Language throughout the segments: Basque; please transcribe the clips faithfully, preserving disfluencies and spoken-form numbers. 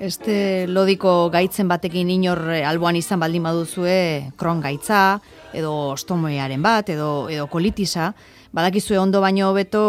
Este lodiko gaitzen batekin inor alboan izan baldin baduzue, Crohn gaitza, edo ostomoearen bat, edo, edo kolitisa, badakizue ondo baino hobeto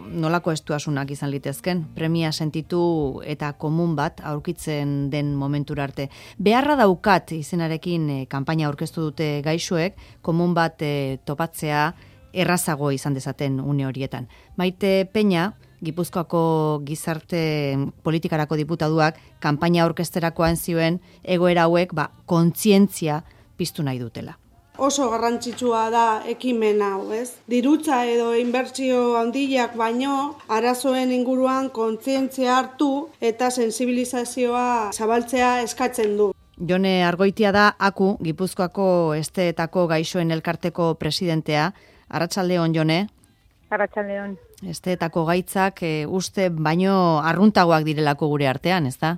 nolako estuasunak izan litezken, premia sentitu eta komun bat aurkitzen den momentura arte. Beharra daukat izenarekin e, kanpaina aurkeztu dute gaixoek, komun bat e, topatzea errazago izan dezaten une horietan. Maite Peña, Gipuzkoako gizarte politikarako diputaduak kanpaina aurkezterakoan zioen egoera hauek ba, kontzientzia piztu nahi dutela. Oso garrantzitsua da ekimen hau, ez? Dirutza edo inbertsio handiak baino arazoen inguruan kontzientzia hartu eta sensibilizazioa zabaltzea eskatzen du. Jone Argoitia da Aku, Gipuzkoako Esteetako Gaixoen Elkarteko presidentea. Arratsaldeon, Jone. Arratsaldeon. Esteetako gaitzak e, uste baino arruntagoak direlako gure artean, ez da?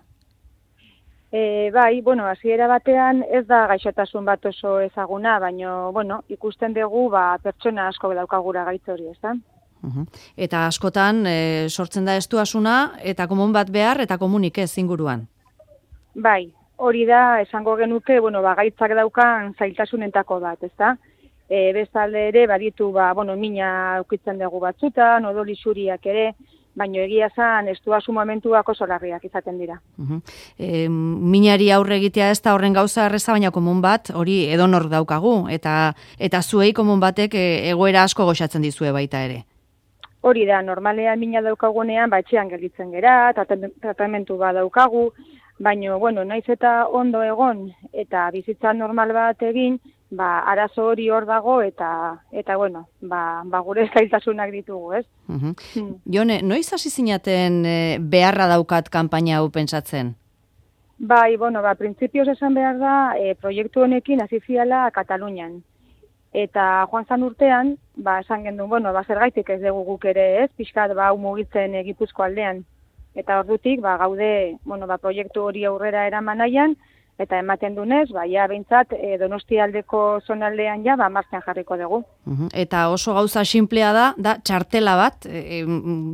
E, bai, bueno, hasiera batean ez da gaixotasun bat oso ezaguna, baino, bueno, ikusten dugu ba, pertsona asko daukagura gaitz hori, ez da? Uh-huh. Eta askotan e, sortzen da estuasuna eta komun bat behar eta komunik ez inguruan? Bai, hori da esango genuke, bueno, ba, gaitzak daukan zailtasunentako bat, ez da? E, bestalde ere, baditu, ba, bueno, mina ukitzen dugu batzutan, odol isuriak ere, baino egia zan, estuasu momentuak oso larriak izaten dira. Uh-huh. E, minari aurre egitea ez da horren gauza erreza, baina komun bat, hori edonor daukagu, eta eta zuei komun batek e, egoera asko goxatzen dizue baita ere. Hori da, normalean mina daukagunean, ba, etxean gelditzen gera, tratamentu ba daukagu, baino, bueno, naiz eta ondo egon, eta bizitza normal bat egin, ba, arazo hori hor dago eta eta bueno, ba, ba gure zailtasunak ditugu, ez? Uh-huh. Hmm. Jone, noiz hasi zinaten e, beharra daukat kanpaina hau pentsatzen? Bai, bueno, ba, printzipioz esan behar da, e, proiektu honekin hasi ziala Katalunian. Eta joan zan urtean, ba, esan gendun, bueno, ba, zergaitik ez dugu guk ere, ez? Pixkat, ba, mugitzen e, Gipuzko aldean. Eta ordutik, ba, gaude, bueno, ba, proiektu hori aurrera eraman nahian, eta ematen dunez, ba, ja, behintzat, e, Donostialdeko zonaldean ja, ba, martxan jarriko dugu. Uh-huh. Eta oso gauza sinplea da, da txartela bat, e,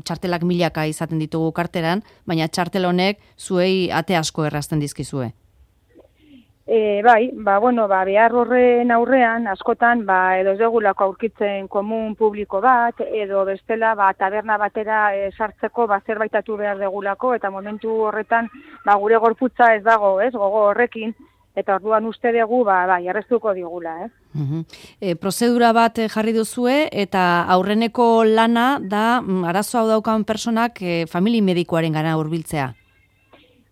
txartelak milaka izaten ditugu karteran, baina txartel honek zuei ate asko errazten dizkizue. E, bai, ba, bueno, ba, behar horren aurrean, askotan, ba, edo ez dugulako aurkitzen komun publiko bat, edo bestela, ba, taberna batera e, sartzeko, ba, zerbaitatu behar degulako, eta momentu horretan, ba, gure gorputza ez dago, ez, gogo horrekin, eta orduan uste dugu, ba, ba, jarreztuko digula, ez. Uh-huh. E, prozedura bat jarri duzue, eta aurreneko lana da, arazo hau daukan personak e, famili medikoaren gana hurbiltzea.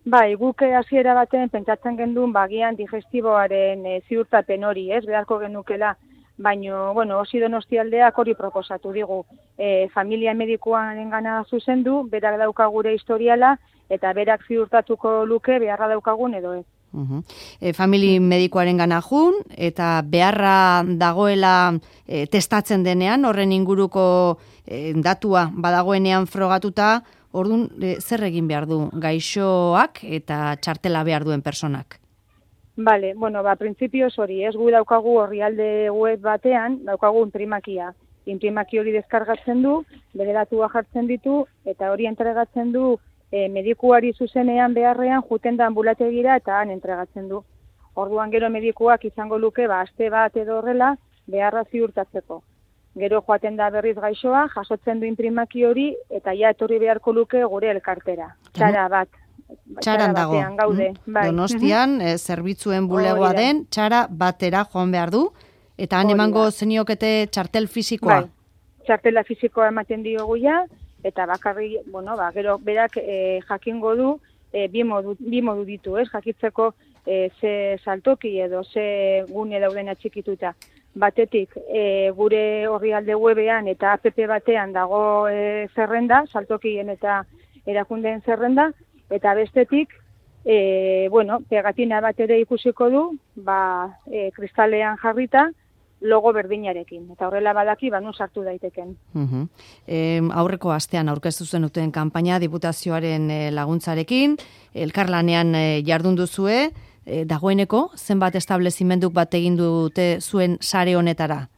Bai, guk hasiera baten pentsatzen gendun bagian digestiboaren e, ziurtapen hori, ez, beharko genukela, baino, bueno, osi Donostialdeak hori proposatu digu. E, familia medikuaren gana zuzendu, berak dauka gure historiala, eta berak ziurtatuko luke beharra daukagun edo ez. Uh-huh. E, famili medikuaren gana jun, eta beharra dagoela e, testatzen denean, horren inguruko e, datua badagoenean frogatuta, orduan, e, zer egin behar du gaixoak eta txartela behar duen personak? Bale, bueno, ba, printzipioz hori, ez gu daukagu orrialde web batean, daukagu imprimakia. Imprimaki hori deskargatzen du, bere datua jartzen ditu, eta hori entregatzen du e, medikuari zuzenean beharrean juten da ambulategira eta han entregatzen du. Orduan gero medikuak izango luke, ba, aste bat edo horrela, beharra ziurtatzeko. Gero joaten da berriz gaixoa, jasotzen du imprimaki hori, eta ja etorri beharko luke gure elkartera. Txara bat. Txaran dago. Gaude. Bai. Donostian, e, zerbitzuen bulegoa den, txara batera joan behar du, eta han emango zeniokete txartel fisikoa. Bai. Txartela fisikoa ematen diogu ja, eta bakarri, bueno, ba, gero berak e, jakingo du, e, bi, modu, bi modu ditu, ez, jakitzeko e, ze saltoki edo ze gune dauden atxikituta. Batetik, e, gure orrialde webean eta app batean dago e, zerrenda, saltokien eta erakundeen zerrenda, eta bestetik, e, bueno, pegatina bat ere ikusiko du, ba, e, kristalean jarrita, logo berdinarekin. Eta horrela badaki, ba, nun sartu daiteken. Uh-huh. E, aurreko astean aurkeztu zenuten kanpaina diputazioaren e, laguntzarekin, elkarlanean e, jardun duzue, E, dagoeneko, zenbat establezimenduk bat egin dute zuen sare honetara?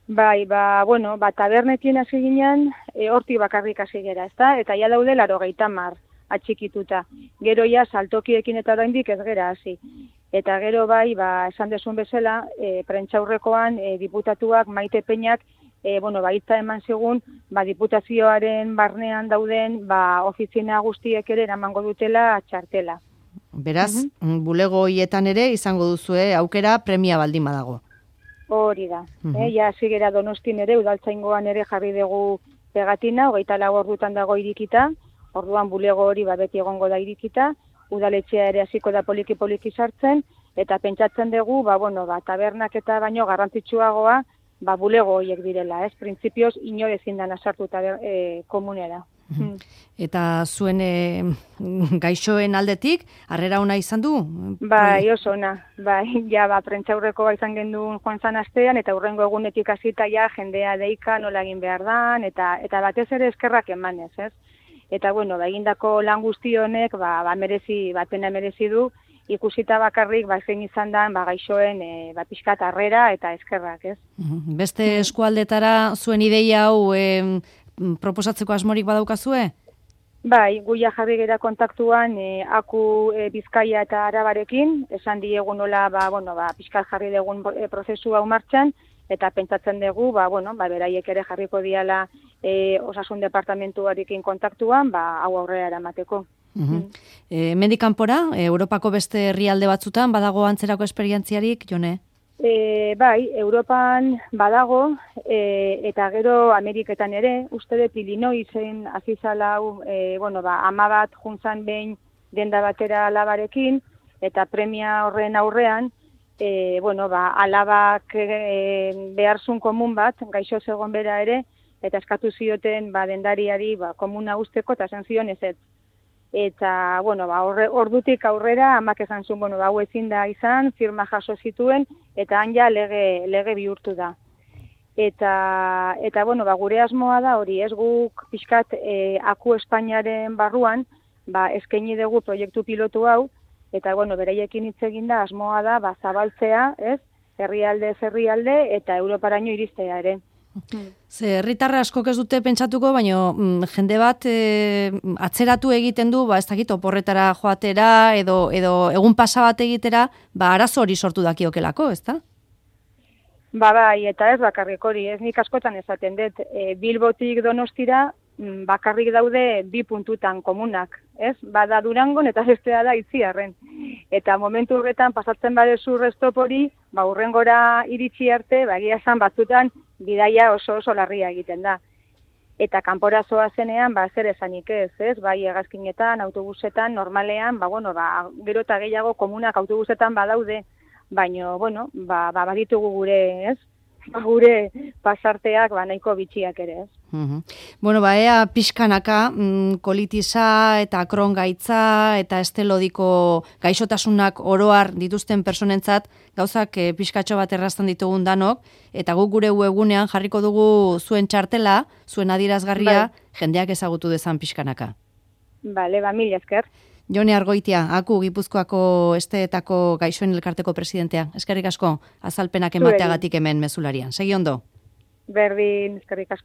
Bai, ba, bueno, ba, tabernekin hasi ginen, e, hortik bakarrik hasi gera, ezta? Eta ja daude laurogeita hamar. atxikituta. Gero ja saltokiekin eta oraindik ez gera hasi. Eta gero bai, ba, esan desun bezala, e, prentxaurrekoan e, diputatuak Maite Peñak E, bueno, baitza eman zigun, ba, diputazioaren barnean dauden, ba, ofizina guztiek ere eramango dutela txartela. Beraz, uh-huh. bulego hoietan ere izango duzue aukera premia baldin badago. Hori da. Uh-huh. eh, ja, zigera Donostin ere, udaltzaingoan ere jarri dugu pegatina, hogeita lau ordutan dago irikita, orduan bulego hori ba, beti egongo da irikita, udaletxea ere hasiko da poliki-poliki sartzen, eta pentsatzen dugu, ba, bueno, ba, tabernak eta baino garrantzitsuagoa, ba, bulego horiek direla, ez? Printzipioz inor ezin dana sartu e, komunera. Hmm. Eta zuen e, gaixoen aldetik, harrera ona izan du? Bai, oso ona. Bai, ja, ba, prentxaurreko izan gendun joan zan astean, eta hurrengo egunetik hasita ja, jendea deika nola egin behar dan, eta, eta batez ere eskerrak emanez, ez? Eta, bueno, ba, egindako lan guzti honek, ba, ba, merezi, batena merezi du, ikusita bakarrik ba zein izan da ba gaixoen e, ba pixkat harrera eta eskerrak, ez? Beste eskualdetara zuen ideia hau e, proposatzeko asmorik badaukazue? Bai, guia jarri gera kontaktuan e, Aku e, Bizkaia eta Arabarekin, esan diegu nola ba bueno, ba pixkat jarri dugun e, prozesu hau martxan eta pentsatzen dugu ba bueno, ba beraiek ere jarriko diala e, Osasun departamentuarekin kontaktuan, ba hau aurrera eramateko. Uhum. E, Hemendik kanpora, Europako beste herrialde batzutan, badago antzerako esperientziarik, Jone? E, bai, Europan badago, e, eta gero Ameriketan ere, uste dut Illinoisen azizala, e, bueno, ba, ama bat juntzan behin denda batera alabarekin, eta premia horren aurrean, e, bueno, ba, alabak e, beharzun komun bat, gaixo zegon bera ere, eta eskatu zioten ba, dendariari ba, komuna usteko, eta zen zion ez ez. Eta, bueno, ba, ordutik aurrera, amak esan zuen, bueno, ba, hau ezin da izan, firma jaso zituen, eta han ja lege, lege bihurtu da. Eta, eta bueno, ba, gure asmoa da hori, ez guk pixkat e, Aku Espainiaren barruan, ba, eskaini dugu proiektu pilotu hau, eta, bueno, beraiekin hitz egin da, asmoa da, ba, zabaltzea, ez, herrialde herrialde eta Europaraino iristea ere. Ze herritarra askok ez dute pentsatuko, baina mm, jende bat e, atzeratu egiten du, ba ez dakit oporretara joatera edo edo egun pasa bat egitera, ba arazo hori sortu dakiokelako, ezta? Ba bai, eta ez bakarrik hori, ez nik askotan esaten dut, e, Bilbotik Donostira bakarrik daude bi puntutan komunak, ez? Bada Durangon eta bestea da Itziarren. Eta momentu horretan pasatzen badezu restop hori, ba hurrengora iritsi arte, ba egia esan batzutan bidaia oso oso larria egiten da. Eta kanpora zoazenean, ba zer esanik ez, ez? Bai hegazkinetan, autobusetan, normalean, ba bueno, ba gero eta gehiago komunak autobusetan badaude, baino bueno, ba ba baditugu gure, ez? Gure pasarteak ba nahiko bitxiak ere, ez? Uhum. Bueno, ba, ea pixkanaka mm, kolitisa eta Crohn gaitza eta estelodiko gaixotasunak oroar dituzten personentzat gauzak e, pixkatxo bat errazten ditugun danok, eta guk gure webgunean jarriko dugu zuen txartela, zuen adierazgarria, bai, jendeak ezagutu dezan pixkanaka. Bale, ba, mila esker. Jone Argoitia, Aku Gipuzkoako esteetako gaixoen elkarteko presidentea. Eskerrik asko, azalpenak emateagatik hemen mezularian. Segi ondo. Berdin, eskerrik asko.